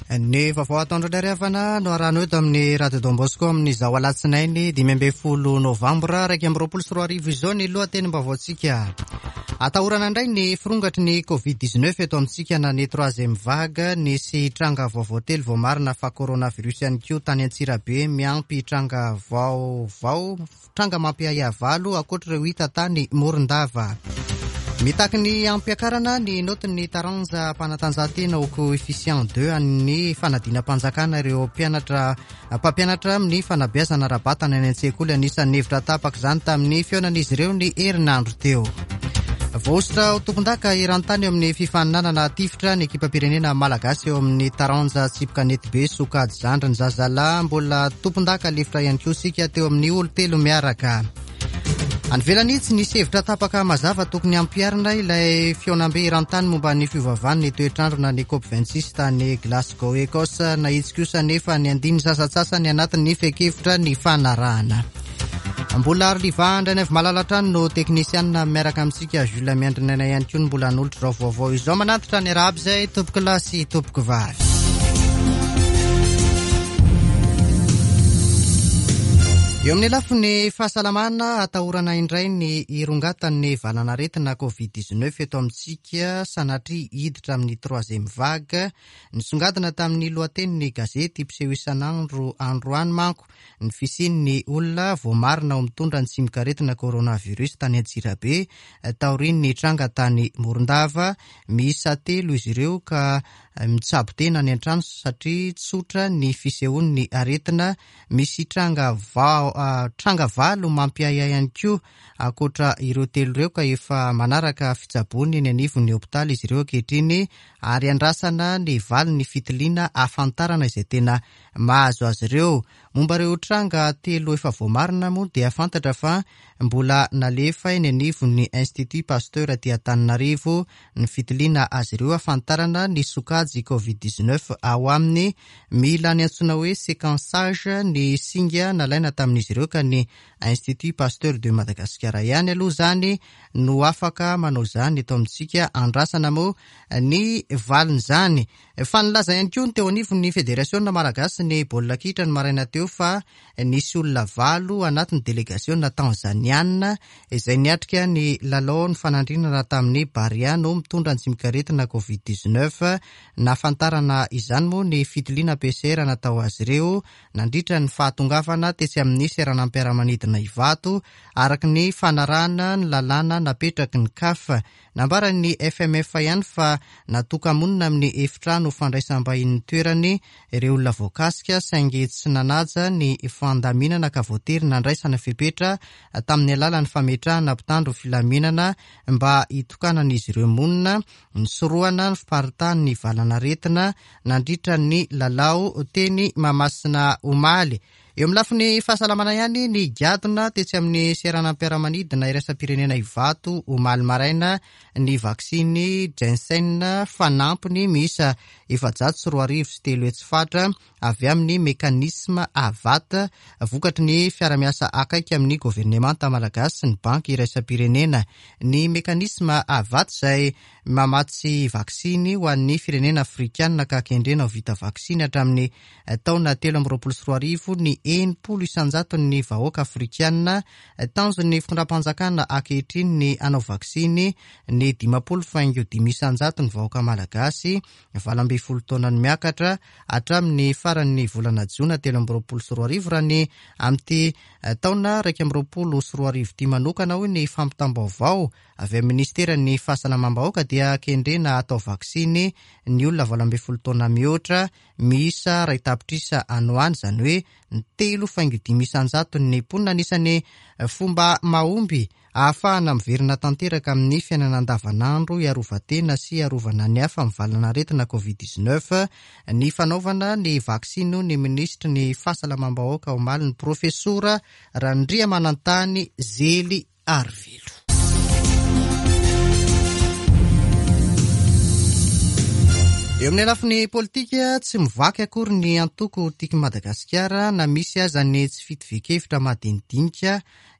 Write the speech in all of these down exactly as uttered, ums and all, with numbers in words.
Ny vaovao ataondro indray havana no arahana eto amin'ny Radio Don Bosco amin'izao alatsinainy dimy ambin'ny folo novambra iraika amby roapolo sy roa arivo izao ny lohatenim-baovaontsika. Atahorana indray ny firongatry ny covid dix-neuf eto amintsika na ny troisième vague. Nisy tranga vaovao telo voamarina fa coronavirus ihany koa tany Antsirabe, miampy tranga vaovao, tranga mampiahiahy valo ankoatra ireo hita tany Morondava. Mitaky ny ampiakarana ny notin'ny taranja mpanatanjahantena ho coefficient deux an'ny fanadinam-panjakana ireo mpianatra mpampianatra amin'ny fanabeazana ara-batana any an-tsekoly. Anisan'ny hevitra tapaka izany tamin'ny fihaonan'izy ireo ny herinandro teo. Voahosotra ho tompon-daka eran-tany eo amin'ny fifaninanana tifitra ny ekipam-pirenena malagasy eo amin'ny taranja tsipy kanety be sokajy zandriny zazalahy. Mbola tompon-daka lefitra ihany koa isika teo amin'ny olo-telo miaraka. Any ivelany tsy nisy hevitra tapaka mazava tokony hampiharina ilay fihaonambe eran-tany momba ny fiovaovan'ny toetrandro na ny COP vingt-six tany Glasgow, Écosse. Nahitsy kosa nefa ny andininy sasantsasany anatin'ny fehin-kevitra ny fanarahana. Mbola Arliva Andrianaivo Malala hatrany no teknisianina miaraka amintsika. Jules Miandrinana ihany koa no mbola hanolotra izao vaovao izao. Manatitra ny arahaba izay tompoko lahy sy tompoko vavy. Eo amin'ny lafiny fahasalamana, atahorana indray ny hirongatan'ny valanaretina covid dix-neuf eto amintsika, sanatria hiditra amin'ny troisième vague. Nisongadina tamin'ny lohatenin'ny gazety mpiseho isan'andro androany manko ny fisian'ny olona voamarina ho mitondra ny tsimokaretina coronavirus tany Antsirabe taorian'ny tranga tany Morondava. Miisa telo izy ireo ka mitsabo tena any an-trano satria tsotra ny fisehoan'ny aretina. Misy tranga vao, tranga valo mampiahiahy ihany koa ankoatra ireo telo ireo ka efa manaraka fitsaboana eny anivon'ny hopitaly izy ireo ankehitriny ary andrasana ny valin'ny fitiliana ahafantarana izay tena mahazo azy ireo. Momba ireo tranga telo efa voamarina moa dia fantatra fa mbola nalefa eny anivon'ny Institut Pasteur aty Antananarivo ny fitiliana azy ireo ahafantarana ny sokajy covid dix-neuf ao aminy. Mila ny antsoina hoe séquençage ny singa nalaina tamin'izy ireo ka ny Institut Pasteur de Madagascar ihany aloha izany no afaka manao izany eto amintsika. Andrasana moa ny valin'izany. Fa nilaza ihany koa ny teo anivon'ny Federasiona Malagasy ny baolina kitra ny maraina teo fa nisy olona valo anatin'ny delegasiona tanzaniana izay niatrika ny lalao ny fanandrinana tamin'ny Barea no mitondra ny tsimokaretina covid dix-neuf. Nahafantarana izany moa ny fitiliana P C R natao azy ireo nandritra ny fahatongavana tetsy amin'ny seranam-piaramanidina Ivato araka ny fanarahana ny lalàna napetraky ny C A F. Nambaran'ny F M F ihany fa natoka-monina amin'ny efitrano fandraisam-bahin'ny toerany ireo olona voakasika saingy tsy nanaja ny fandaminana ka voatery nandraisana fepetra tamin'ny alalan'ny fametrahana mpitandro filaminana mba hitokanan'izy ireo monina, nisorohana ny fiparitahan'ny valanaretina nandritra ny lalao teny Mahamasina omaly. Eo amin'ny lafiny fahasalamana ihany, ny gadona tetsy amin'ny seranam-piaramanidina iraisam-pirenena Ivato omaly maraina ny vaksiny Janssen fanampiny miisa efajato sy roa arivo sy telo hetsy fatra avy amin'ny mekanisma AVAT vokatry ny fiarahamiasa akaiky amin'ny governemanta malagasy sy ny banky iraisam-pirenena. Ny mekanisma AVAT izay mamatsy vaksiny ho an'ny firenena afrikanina ka kendrena ho vita vaksiny hatramin'ny taona telo amby roapolo sy roa arivo ny enimpolo isan-jaton'ny vahoaka afrikanina. Tanjon'ny fitondram-panjakana ankehitriny ny hanao vaksiny ny dimampolo faingo dimy isan-jaton'ny vahoaka malagasy valo ambin'ny folo taona no miakatra hatramin'ny faran'ny volana jona telo amby roapolo sy roa arivo. Raha ny amin'ity taona iraika amby roapolo sy roa arivo ity manokana hoy ny fampitam-baovao avy amin'ny ministeran'ny fahasalamam-bahoaka dia kendrena atao vaksiny ny olona valo ambin'ny folo taona mihoatra miisa iray tapitrisa any ho any, izany hoe ny telo faingo dimy isan-jaton'ny mponina. Anisan'ny fomba mahomby ahafahana miverina tanteraka amin'ny fiainana andavanandro hiarovan-tena sy hiarovana ny hafa amin'ny valanaretina covid dix-neuf ny fanaovana ny vaksiny ny minisitry ny fahasalamam-bahoaka omaly ny profesora Randriamanantany Zely Arivelo. Eo amin'ny lafiny politika, tsy mivaky akory ny antoko Tiako Madagasikara na misy aza ny tsy fitovian-kevitra madinidinika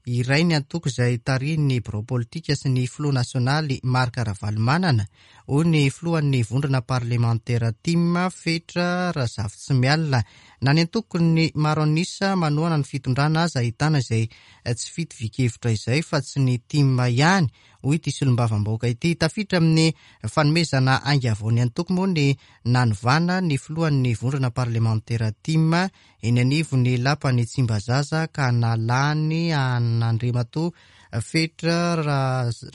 Iray ny antoko izay tarihin'ny birao politika sy ny filoha nasionaly Marc Ravalomanana, hoy ny filohan'ny vondrona parlemantera TIM Fetra Razafitsimialina. Na ny antokon'ny maro an'isa manohana ny fitondrana aza ahitana izay tsy fitovian-kevitra izay fa tsy ny TIM ihany, hoy ity solombavambahoaka ity. Tafiditra amin'ny fanomezana ainga vao ny antoko moa ny nanovana ny filohan'ny vondrona parlemantera TIM eny anivon'ny lapan'ny Tsimbazaza ka nalany an'Andriamatoa Fetra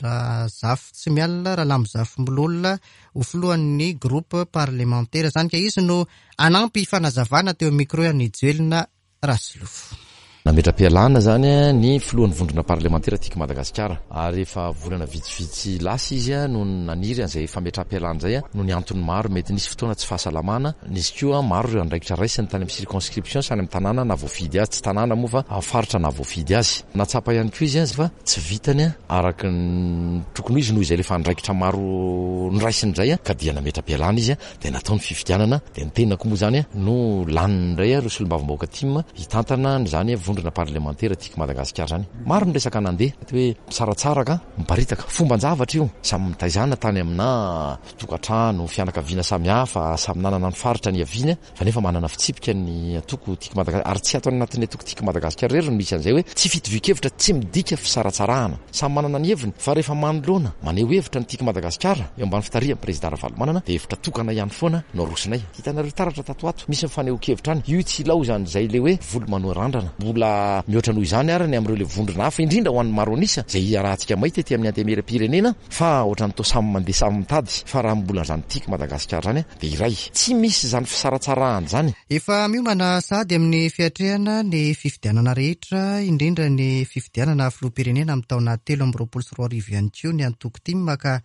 Razafitsimialina Ralamozafimbololona ho filohan'ny groupe parlemantera. Izany ka izy no anampy fanazavana teo amin'ny micro an'i Joelina Rasolofo. Nametra-pialana zany ny filohan'ny vondrona parlemantera Tiako Madagasikara, ary efa volana vitsivitsy lasa izy no naniry an'izay fametra-pialana izay noho ny antony maro. Mety nisy fotoana tsy fahasalamana, nisy koa maro ireo andraikitra raisiny tany amin'ny circonscription sy any amin'ny tanàna na voafidy azy, tsy tanàna moa fa faritra na voafidy azy. Natsapa ihany koa izy fa tsy vitany araka ny tokony ho izy noho izay le andraikitra maro noraisiny izay, ka dia nametra-pialana izy, dia natao ny fifidianana, dia ny tenako moa zany no laniny indray ireo solombavambahoaka TIM hitantana an'izany vondrona parlemantera Tiako Madagasikara zany. Maro ny resaka nandeha hoe misaratsaraka, miparitaka, fomban-javatra io, samy mitaizana tany amina tokantrano, fianakaviana samihafa, samy nanana ny faritra niaviany, fa nefa manana fitsipika ny antoko Tiako Madagasikara, ary tsy ato anatin'ny antoko Tiako Madagasikara irery no misy an'izay hoe tsy fitovian-kevitra, tsy midika fisaratsarahana, samy manana ny heviny, fa rehefa manoloana maneho hevitra ny Tiako Madagasikara eo ambany fitarihan'ny président Ravalomanana, dia hevitra tokana ihany foana no arosinay. Hitanareo taratra tato ato misy ny fanehoan-kevitra any, io tsy ilaozany izay le hoe volo manoa randrana, mbola mihoatra noho izany ary ny amin'ireo le vondrona hafa, indrindra ho an'ny maro an'isa izay iarahantsika mahita ety amin'ny antenimieram-pirenena, fa ohatran'ny toa samy mandeha samy mitady, fa raha mbola izany Tiako Madagasikara zany dia iray, tsy misy izany fisaratsarahana izany. Efa miomana sady amin'ny fiatrehana ny fifidianana rehetra, indrindra ny fifidianana filoham-pirenena amin'ny taona telo amby roapolo sy roa arivo ihany koa ny antoko TIM, ka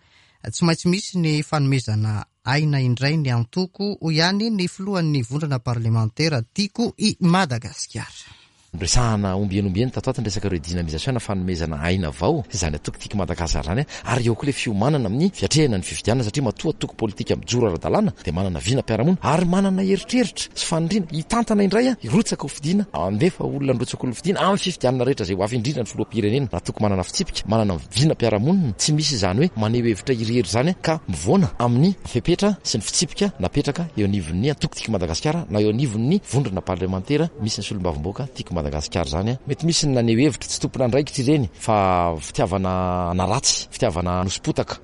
tsy maintsy misy ny fanomezana aina indray ny antoko, hoy ihany ny filohan'ny vondrona parlemantera Tiako i Madagasikara. Resahana ombieny ombieny tato ato ny resaka redynamisation na fanomezana aina vao izany antoko Tiako Madagasikara zany, ary eo koa le fiomanana amin'ny fiatrehana ny fifidianana, satria matoa antoko politika mijoro ara-dalàna dia manana vinam-piarahamonina ary manana eritreritra sy faniriana hitantana indray, hirotsaka ho fidiana, andefa olona nirotsaka ho fidiana amin'ny fifidianana rehetra izay ho avy, indrindra ny filoham-pirenena. Raha toko manana fitsipika, manana vinam-piarahamonina, tsy misy izany hoe maneho hevitra irery izany ka mivoana amin'ny fepetra sy ny fitsipika napetraka eo anivon'ny antoko Tiako Madagasikara na eo anivon'ny vondrona parlemantera misy ny solombavambahoaka Tiako Madagasikara zany. Mety misy ny naneho hevitra tsy tompon'andraikitra ireny, fa fitiavana naratsy, fitiavana nosipotaka.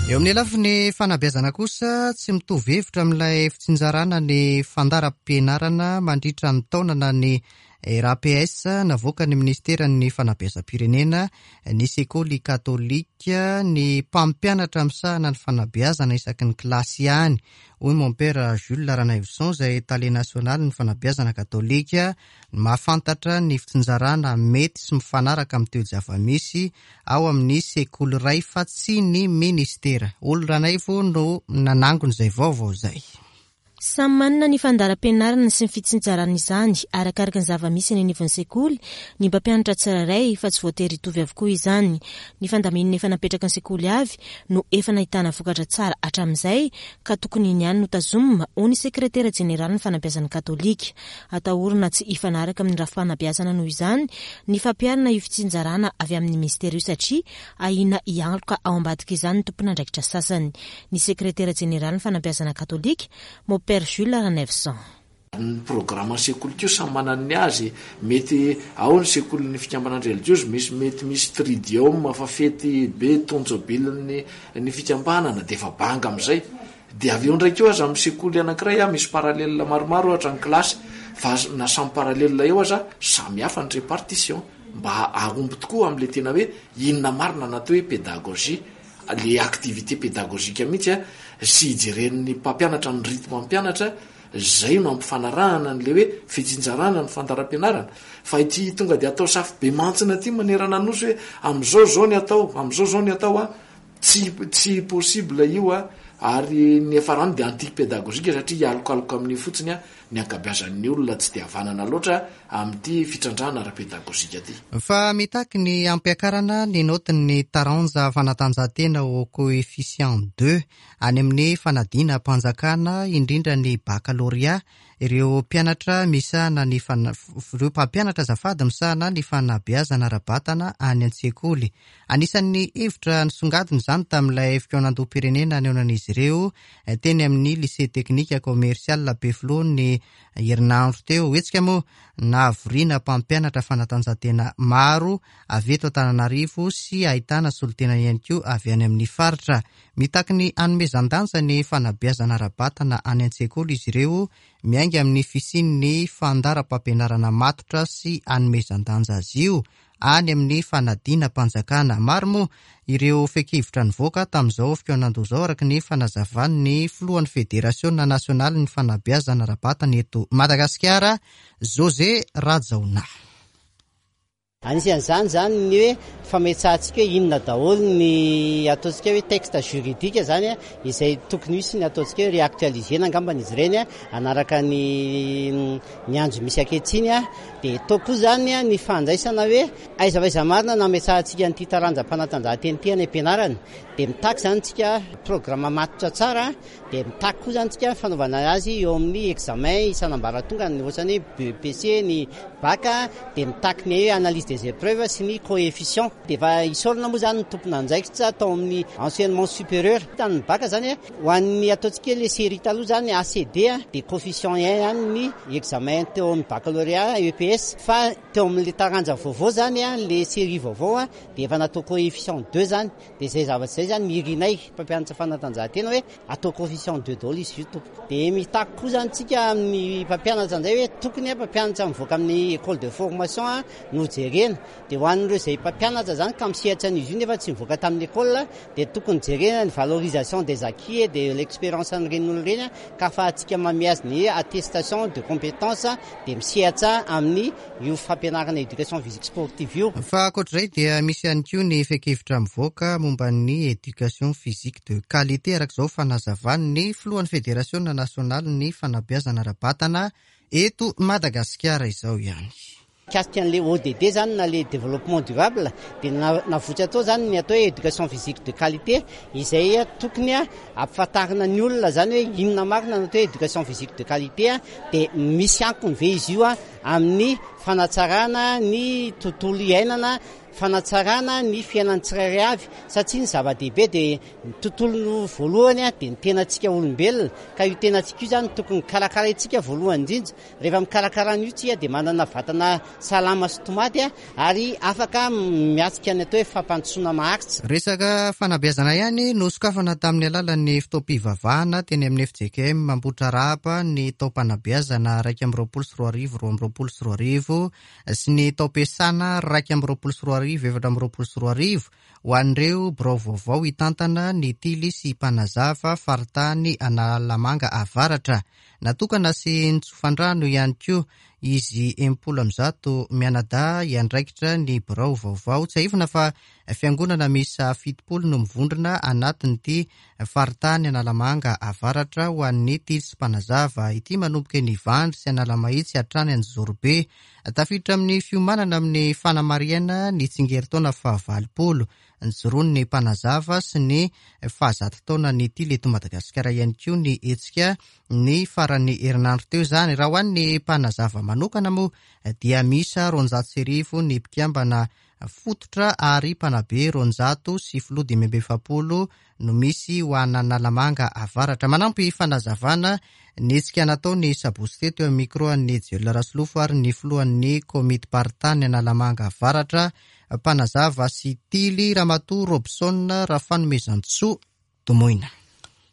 Eo amin'ny lafiny fanabeazana kosa, tsy mitovy hevitra amin'ilay fitsinjarana ny fandaharam-pianarana mandritra ny taona na ny R A P S navoakan'ny ministeran'ny fanabeazam-pirenena, ny sekoly katolika, ny mpampianatra misahana ny fanabeazana isaky ny kilasy ihany, hoy Mompera Jules Ranaivoson izay tale nasionaly ny fanabeazana katolika, ny mahafantatra ny fitsinjarana mety sy mifanaraka amin'ny toe-java-misy ao amin'ny sekoly iray fa tsy ny ministera. Olo Ranaivo no nanangona izay vaovao izay. Samy manana ny fandaharam-pianarana sy ny fitsinjarana izany arakaraka ny zava-misy eny anivon'ny sekoly ny mpampianatra tsirairay, fa tsy voatery hitovy avokoa izany. Ny fandaminana efa napetraka ny sekoly avy no efa nahitana vokatra tsara hatramin'izay, ka tokony iny ihany no tazomina, hoy ny sekretera jeneralin'ny fanabeazana katolika. Atahorana tsy hifanaraka amin'ny rafi-panabeazana noho izany ny fampiharana io fitsinjarana avy amin'ny ministera io, satria ahiana hialoka ao ambadika izany ny tompon'andraikitra sasany. Ny sekretera jeneralin'ny fanabeazana katolika, Mompera Jules Ranaivoson. Ny programme sekoly koa samy manana ny azy, mety ao ny sekolin'ny fikambanana relijiozy, misy mety misy tridium fa fety be tonjobilin'ny ny fikambanana dia efa banga amin'izay. Dia avy eo indray koa aza amin'ny sekoly anankiray a, misy parallèle maromaro ohatra ny kilasy, fa na samy parallèle eo aza samy hafa ny répartition, mba hahomby tokoa amin'ilay tena hoe inona marina na atao hoe pédagogie, le activité pédagogique mihitsy a, sy hijeren'ny mpampianatra ny rythme mampianatra, zay no ampifanarahana an'ilay hoe fitsinjarana ny fandaharam-pianarana. Fa ity tonga dia atao safo be mantsina ity manerana ny nosy hoe amin'izao zao ny atao, amin'izao zao ny atao a, tsy, tsy possible io a, ary ny hafarany dia anti-pédagogique satria hialokaloka amin'io fotsiny a, ny ankabeazan'ny olona tsy dia havanana loatra amin'ity fitrandrahana ara-pedagojika ity. Fa mitaky ny ampiakarana ny notin'ny taranja fanatanjahantena au coefficient deux any amin'ny fanadinam-panjakana, indrindra ny bakalorea, ireo mpianatra misahana ny fana, ireo mpampianatra azafady misahana ny fanabeazana ara-batana any an-tsekoly. Anisan'ny hevitra nisongadina izany tamin'ilay fikaonandoham-pirenena nihaonan'izy ireo teny amin'ny lycée technique commercial Ampefiloha ny herinandro teo. Hetsika moa nahavoriana mpampianatra fanatanjahantena maro avy eto Antananarivo sy ahitana solontena ihany koa avy any amin'ny faritra. Mitaky ny hanomezan-danja ny fanabeazana ara-batana any an-tsekoly izy ireo, miainga amin'ny fisian'ny fandaharam-pampianarana matotra sy hanomezan-danja azy io any amin'ny fanadinam-panjakana. Maro moa ireo fehi-kevitra nivoaka tamin'izao fikaonandoha izao, araka ny fanazavan'ny filohan'ny Federasiona nasionalin'ny fanabeazana ara-batana eto Madagasikara, José Rajaona. Anisan'izany zany ny hoe fametsahantsika hoe inona daholo ny ataontsika hoe texte juridique zany izay tokony hisy ny ataontsika hoe réactualisena angambany izy ireny anaraka ny ny andro misy ankehitriny. Dia atao koa zany ny fandraisana hoe aiza aiza marina nametsahantsika an'ity taranja-panatanjahantena ity any am-pianarana. Dia mitaky zany tsika programme matotra tsara, dia mitaky koa zany tsika fanaovana azy eo amin'ny examen isan'ambaratonga, ny ohatrany hoe B E P C, ny bac, dia mitaky ny analyse des épreuves sy ny coefficient. Dia efa isaorana moa zany ny tompon'andraikitra tao amin'ny enseignement supérieur tamin'ny bac zany ho an'ny ataontsika le série taloha zany A C D, dia coefficient un ihany ny examen teo amin'ny baccalauréat E P S, fa teo amin'le taranja vaovao zany, le série vaovao, dia efa natao coefficient deux zany. Dia zay zavatra zay zany mirinay mpampianatra fanatanjahantena hoe atao coefficient deux daholo izy io tompoko. Dia mitaky koa zany tsika amin'ny mpampianatra indray hoe tokony mpampianatra mivoaka amin'ny école de formation no jerena. Dia ho an'ireo izay mpampianatra zany ka misehatra an'izy io nefa tsy mivoaka tamin'ny école, dia tokony jerena ny valorisation des acquis et de l'expérience an'ireny olona ireny, ka ahafahantsika manome azy ny attestation de compétence, dia misehatra amin'ny io fampianarana éducation physique sportive io. Fa ankoatr'izay dia misy ihany koa ny fehi-kevitra mivoaka momba ny éducation physique de qualité, araka izao fanazavany filohan'ny Federasiona nasionalin'ny fanabeazana ara-batana eto Madagasikara izao ihany. Mikasika an'le O D D zany na le développement durable, dia navoitra atao zany ny atao hoe éducation physique de qualité, izay tokony a ampifantarina ny olona zany hoe inona marina ny atao hoe éducation physique de qualité, dia misy ankony ve izy io a amin'ny fanatsarana ny tontolo iainana, fanatsarana ny fiainan'ny tsirairay avy, satria ny zava-dehibe dia ny tontolo voalohany a dia ny tenantsika olombelona, ka io tenantsika io zany tokony karakaraintsika voalohany indrindra. Rehefa mikarakara an'io tsika dia manana vatana salama sy tomady a ary afaka miatrika ny atao hoe fampandrosoana maharitra. Resaka fanabeazana ihany no sokafana tamin'ny alalan'ny fotoam-pivavahana teny amin'ny F J K M Ambohitrarahaba ny taom-panabeazana raika amby roapolo sy roa arivo roa amby roapolo sy roa arivo sy ny taom-piasana raika amby roapolo sy roa arivo efatra amby roapolo sy roa arivo ho an'ireo birao vaovao hitantana ny Tily sy Mpanazava faritany Analamanga Avaratra. Natokana sy nitsofan-drano ihany koa izy enimpolo amby zato mianadahy hiandraikitra ny birao vaovao. Tsiahivina fa fiangonana miisa fitopolo no mivondrona anatin'ity faritany Analamanga Avaratra ho an'ny Tily sy Mpanazava ity, manomboka eny Ivandry sy Analamahitsy hatrany Anjozorobe. Tafiditra amin'ny fiomanana amin'ny fanamarihana ny tsingerin-taona fahavalopolo nijoroan'ny Mpanazava sy ny fahazato taona ny Tily eto Madagasikara ihany koa ny hetsika ny faran'ny herinandro teo izany. Raha ho an'ny Mpanazava manokana moa dia miisa roanjato sy arivo ny mpikambana fototra, ary mpanabe roanjato sy filoha dimy amby efapolo no misy ho an'Analamanga Avaratra. Manampy fanazavana ny hetsika natao ny sabotsy teto eo amin'ny micro an'ny Jelona Rasolofo ary ny filohan'ny komity paritany Analamanga Avaratra, Mpanazava sy Tily, Ramatoa Robson Rafanomezantsoa Domoina.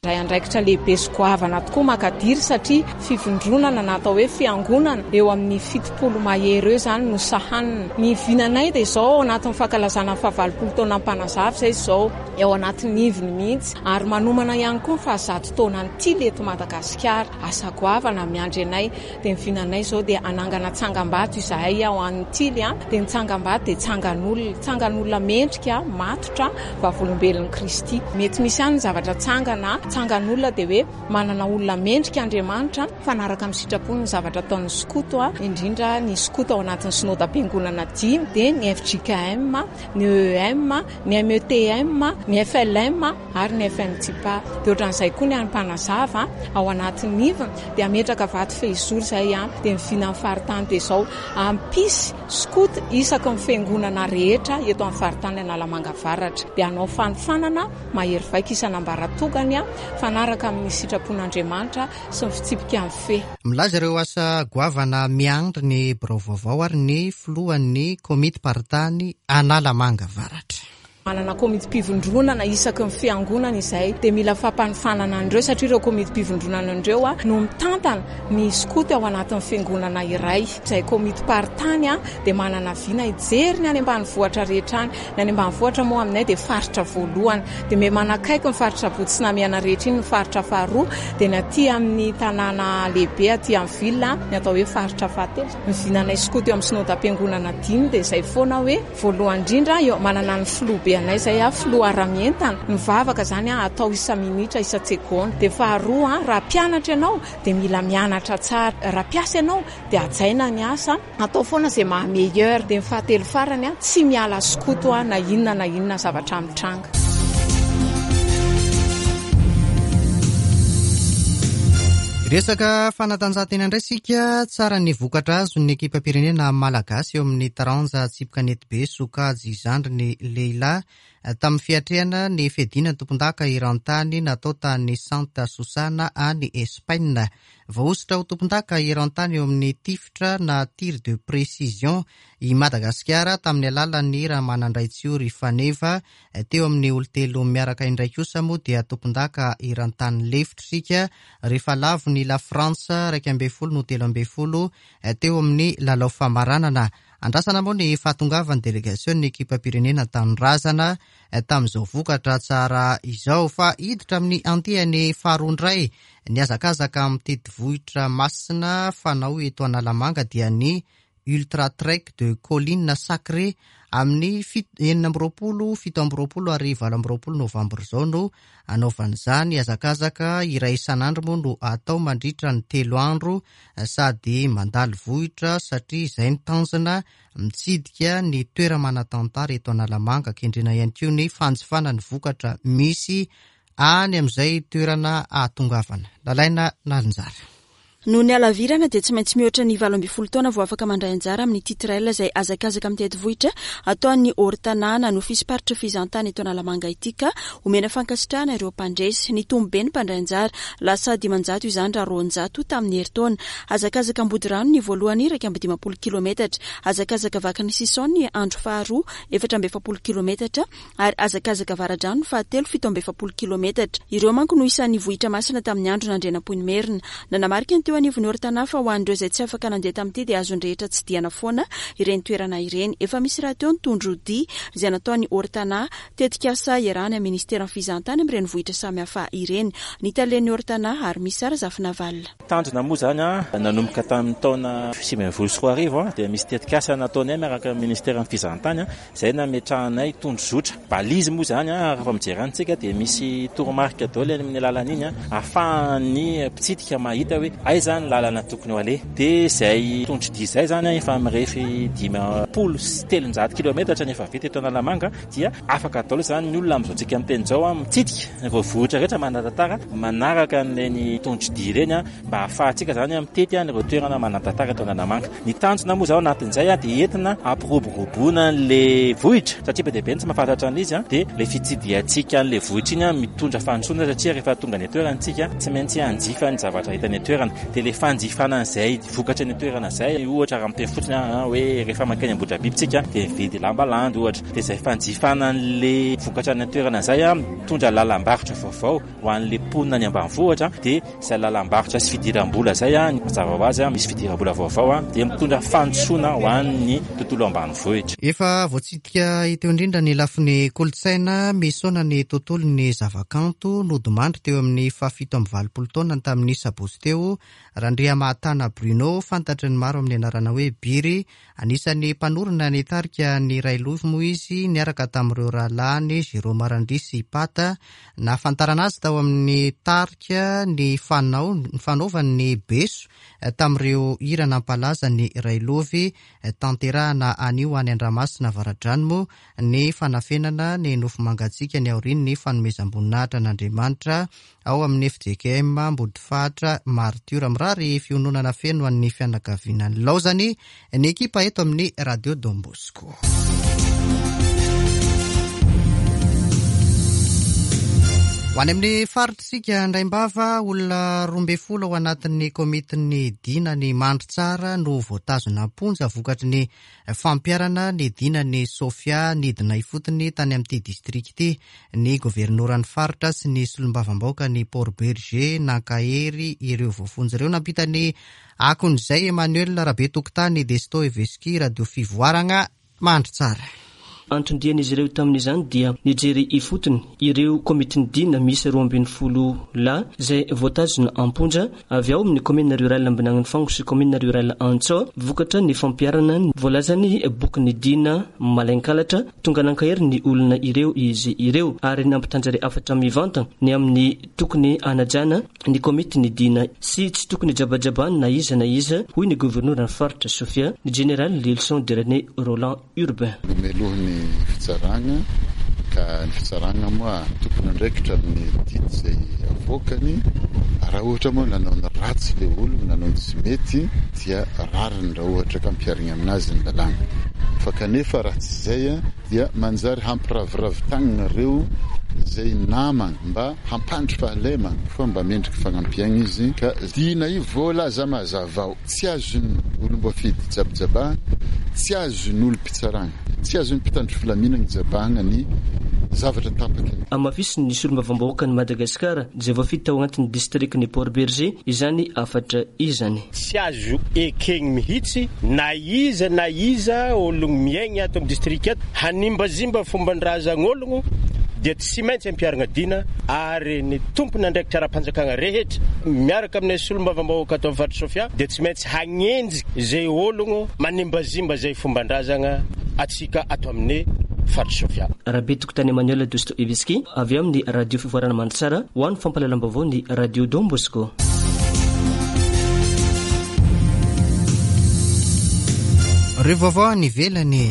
Ray andraikitra lehibe sy goavana tokoa makadiry, satria fivondronana na atao hoe fiangonana eo amin'ny fitopolo mahery eo zany no sahanina. Ny vinanay dia izao, ao anatin'ny fankalazana ny fahavalopolo taona Mpanazava izay izao, eo anatin'ny ivony mihitsy, ary manomana ihany koa ny fahazato taona ny Tily eto Madagasikara. Asa goavana miandry anay. Dia ny vinanay izao dia anangana tsangambato izahay ao an'ny Tily a dia ny tsangambato dia tsangan'olona tsangan'olona mendrika matotra vavolombelon'ny Kristy. Mety misy ihany ny zavatra tsangana. Tsangan'olona dia hoe manana olona mendrika Andriamanitra, fanaraka amin'ny sitrapony ny zavatra ataon'ny skoto, indrindra ny skoto ao anatin'ny synodam-piangonana dimy, dia ny F J K M, ny E M, ny M E T M, ny F L M ary ny F M T P A. Dia ohatran'izay koa ny an'ny-mpanazava ao anatin'ny ivony, dia ametraka vato fehizoro izay, dia mivina amin'ny faritany dia izao ampisy skoto isaky ny fiangonana rehetra eto amin'ny faritany Analamanga Avaratra. Dia hanao fanofanana mahery vaika isan'ambaratongany, fanaraka amin'ny sitrapon'Andriamanitra sy ny fitsipika amin'ny fe. Milaza ireo asa goavana miandry ny birao vaovao ary ny filohan'ny komitim-paritany Analamanga Avaratra. Manana komitim-pivondronana isaky ny fiangonana izay, dia mila fampanofanana an'ireo satria ireo komitim-pivondronana an'ireo no mitantana ny skoto ao anatin'ny fiangonana iray. Izay komitim-paritany dia manana vina hijery ny any ambanivohitra rehetra any. Ny any ambanivohitra moa aminay dia faritra voalohany, dia me manakaiky ny faritra Botsinamiana rehetra iny ny faritra faharoa, dia ny aty amin'ny tanàna lehibe aty amin'ny ville ny atao hoe faritra fahatelo. Ny vinanay skoto eo amin'ny synodam-piangonana dimy dia izay foana hoe voalohany indrindra eo manana ny filoha be anay izay a filoha ara-mientana, mivavaka zany a atao isa-minitra isa-tsegonda. Dia faharoa, raha mpianatra ianao dia mila mianatra tsara, raha mpiasa ianao dia hajaina ny asa, atao foana izay maha meilleur. Dia ny fahatelo farany a tsy miala skoto a na inona na inona zavatra mitranga. Resaka fanatanjahantena indray isika. Tsara ny vokatra azon'ny ekipam-pirenena malagasy eo amin'ny taranja tsipy kanetibe sokajy zandriny lehilahy tamin'ny fiatrehana ny fiadiana ny tompondaka eran-tany natao tany Santa Susana any Espaina. Voahosotra ho tompondaka eran-tany eo amin'ny tifitra na tir de précision i Madagasikara tamin'ny alalan'ny Ramanandraitsiory Faneva. Teo amin'ny olon-telo miaraka indray kosa moa dia tompondaka eran-tany lefitra isika rehefa lavo ny La Frantsa iraika ambin'ny folo no telo ambin'ny folo teo amin'ny lalao famaranana. Andrasana moa ny fahatongavan'ny delegasion'ny ekipam-pirenena tanindrazana tamin'izao vokatra tsara izao, fa hiditra amin'ny andiany faharoa indray ny hazakazaka mitety vohitra masina fanao eto Analamanga dia ny Ultra Trek de Colline Sacrée amin'ny enina amby roapolo, fito amby roapolo ary valo amby roapolo novambra izao no anaovan'izany. Hazakazaka iray isan'andro moa no atao mandritra ny telo andro sady mandalo vohitra satria izay ny tanjona mitsidika ny toera-manan-tantara eto Analamanga. Kendrena ihany koa ny fanjifana ny vokatra misy any amin'izay toerana ahatongavana. Lalaina Nalinjara. Noho ny halavirana dia tsy maintsy mihoatra ny valo ambin'ny folo taona vao afaka mandray anjara amin'ity trail izay hazakazaka mitety vohitra ataon'ny Hortanàna no fisy-paritra fizahantany eto Analamanga ity, ka omena fankasitrahana ireo mpandresy. Nitombo be ny mpandray anjara, lasa dimanjato izany raha roanjato tamin'ny herintaona. Hazakazaka Ambodirano ny voalohany iraika amby dimampolo kilometatra, hazakazaka Vakiny Sison ny andro faharoa efatra amby efapolo kilometatra ary hazakazaka Avaradrano ny fahatelo fito amby efapolo kilometatra. Ireo manko no isan'ny vohitra masina tamin'ny andro nandrianampoinimerina. Nanamarika ny teo anivon'ny Hortanà fa ho an'ireo izay tsy afaka nandeha tamin'ity dia azon'ny rehetra tsidihana foana ireny toerana ireny. Efa misy rahateo ny tondro dia izay nataon'ny Hortanà, tetikasa iarahana amin'ny ministeran'ny fizahantany amin'ireny vohitra samihafa ireny. Ny talen'ny Hortanà ary misy Razafinavalona. Tanjona moa zany a nanomboka tamin'ny taona sivy ambin'ny folo sy roa arivo dia misy tetikasa nataonay miaraka amin'ny ministeran'ny fizahantany izay nametrahanay tondro zotra. Balizy moa zany a rehefa mijery antsika dia misy toromarika daholo any amin'ny alalan'iny a ahafahan'ny mpitsidika mahita hoe aiza ny lalana tokony ho aleha. Dia izay tondro dia izay zany efa mirefy dimampolo sy telonjato kilometatra ny efa vita eto Analamanga, dia afaka daholo zany ny olona amin'izao tsika miteny izao a mitsidika ireo vohitra rehetra manan-tantara manaraka an'ireny tondro dia ireny a mba ahafahantsika zany mitety an'ireo toerana manan-tantara eto Analamanga. Ny tanjona moa zao anatin'izay a dia entina ampiroboroboana an'le vohitra satria be dia be ny tsy mahafantatra an'izy a dia le fitsidihantsika an'le vohitra iny a mitondra fandrosoana satria rehefa tonga any an-toerana tsika tsy maintsy hanjifa ny zavatra hita any an-toerana. Dia le fanjifana an'izay vokatra any an-toerana izay, ohatra raha miteny fotsiny a hoe rehefa mankany Ambohidrabiby tsika dia mividy lamba landy ohatra, dia izay fanjifana an'le vokatra any an-toerana izay a mitondra lalam-barotra vaovao ho an'le mponina any ambanivohitra, dia izay lalam-barotra sy fidiram-bola izay a mazava ho azy a misy fidiram-bola vaovao a dia mitondra fandrosoana ho an'ny tontolo ambanivohitra. Efa voatsidika teo indrindra ny lafiny kolontsaina misaona ny tontolon'ny zavakanto nodimandry teo amin'ny fahafito amby valopolo taona tamin'ny sabotsy teo Randriamahatana Bruno, fantatry ny maro amin'ny anarana hoe Biry. Anisan'ny mpanorina ny tarika ny Railovy moa izy niaraka tamin'ireo rahalahiny Jérôme Randria sy Pata. Nahafantarana azy tao amin'ny tarika ny fanao ny fanaovany ny beso tamin'ireo hira nampalaza ny Railovy. Tanterahana anio any Andramasina Avaradrano moa ny fanafenana ny nofo mangatsiaka ny aorian'ny fanomezam-boninahitra an'Andriamanitra ao amin'ny F J K M Ambodifahatra Martiora. Mirary fiononana feno an'ny fianakaviana ny laozany ny ekipa eto amin'ny Radio Don Bosco. Ho any amin'ny faritsika Andraimbava, olona roa ambin'ny folo ao anatin'ny komitin'ny dina ny Mandritsara no voatazona am-ponja vokatry ny fampiharana ny dinan'ny Sofia nidina ifotony tany amin'ity distrika ity. Ny governoran'ny faritra sy ny solombavambahoaka ny Port Bergé nankahery ireo voafonja ireo. Nampita ny akon'izay Emmanuel Rabetokotany Desto Eveski, Radio Fivoarana Mandritsara. Anton-dian'izy ireo tamin'izany dia nijery ifotony ireo komitin'ny dina misy roa ambin'ny folo lahy izay voatazona am-ponja avy ao amin'ny commune rurale Ambinagninifango sy commune rurale Antsoa vokatra ny fampiharana ny voalazan'ny bokin'ny dina malain-kalatra. Tonga nankahery ny olona ireo izy ireo ary nampitanjary hafatra mivantana ny amin'ny tokony hanajana ny komitin'ny dina sy tsy tokony jabajabana na iza na iza, hoy ny governoran'ny faritra Sofia, ny général Lilson de René Roland Urbain. Nomelohiny fitsarana ka ny fitsarana moa tokony andraikitra amin'ny didy izay avoakany. Raha ohatra moa nanao ny ratsy le olona, nanao ny tsy mety, dia rariny raha ohatra ka ampiharina aminazy ny lalàna. Fa kanefa raha tsy izay dia manjary hampiraviravy tagnana ireo izay namana mba hampandry fahalemana fa mba mendriky fanampiana izy. Ka dina io voalaza mazava ao, tsy azon'ny olom-boafidy jabajabahana, tsy azon'ny olom-pitsarana, tsy azon'ny mpitandro filaminana jabahana ny zavatra tapaka. Amafisin'ny solombavambahoakan'i Madagasikara izay voafidy tao anatin'ny distrikan'i Port Bergé izany hafatra izany. Tsy azo ekeny mihitsy na iza na iza olona miaina ato amin'ny distrika ato hanimbazimba fomban-drazan'olona dia tsy maintsy ampiharina dina, ary ny tompon'andraikitra ara-panjakana rehetra miaraka amin'ny solombavambahoaka ato amin'ny faritra Sofia dia tsy maintsy hagnenjika izay olona manimbazimba izay fomban-drazana atsika ato amin'ny faritra Sofia. Rabetokotany Emmanuel Dostoevsky avy amin'ny Radio Fivoarana Mandritsara ho an'ny fampahalalam-baovao ny Radio Don Bosco. Ireo vaovao any ivelany.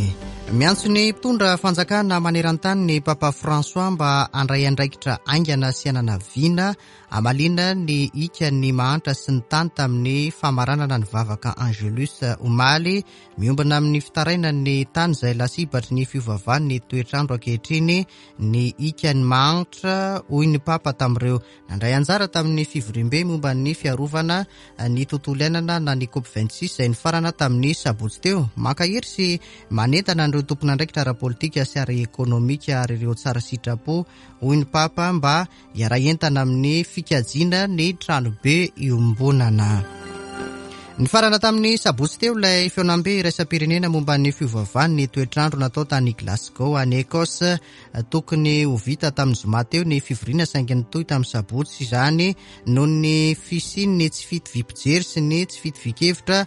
Miantso ny mpitondra fanjakana maneran-tany ny Papa François mba handray andraikitra haingana sy hanana vina hamaliana ny ikan'ny mahantra sy ny tany tamin'ny famaranana ny vavaka Angelus omaly. Miombona amin'ny fitarainan'ny tany izay lasibatry ny fiovaovan'ny toetrandro ankehitriny ny ikan'ny mahantra, hoy ny Papa tamin'ireo nandray anjara tamin'ny fivoriambe momba ny fiarovana ny tontolo iainana na ny COP vingt-six izay nifarana tamin'ny sabotsy teo. Mankahery sy manentana an'ireo tompon'andraikitra ara-politika sy ara-ekonomika ary ireo tsara sitrapo, hoy ny Papa, mba hiara-hientana amin'ny fikajiana ny tranobe iombonana. Nifarana tamin'ny sabotsy teo ilay fihaonambe iraisam-pirenena momba ny fiovaovan'ny toetrandro natao tany Glasgow any Écosse. Tokony ho vita tamin'ny zoma teo ny fivoriana saingy nitohy tamin'ny sabotsy izany noho ny fisian'ny tsy fitoviam-pijery sy ny tsy fitovian-kevitra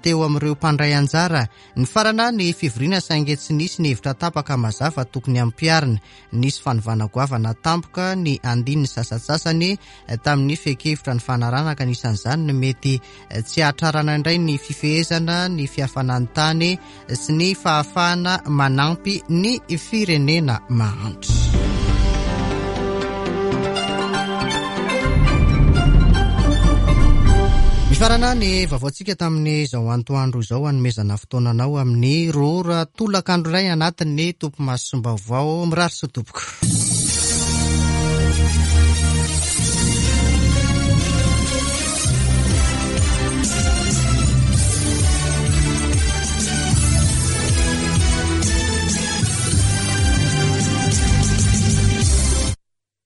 teo amin'ireo mpandray anjara. Nifarana ny fivoriana saingy tsy nisy ny hevitra tapaka mazava tokony hampiharina. Nisy fanovana goavana tampoka ny andininy sasantsasany tamin'ny fehin-kevitra ny fanarahana, ka anisan'izany ny mety tsy hahatrarana indray ny fifehezana ny fiafanan'ny tany sy ny fahafahana manampy ny firenena mahantra. Mifarana ny vaovaontsika tamin'izao antoandro izao, hanomezana fotoananao amin'ny roa ora tolakandro iray anatin'ny tompomasom-baovao. Mirary soa tompoko.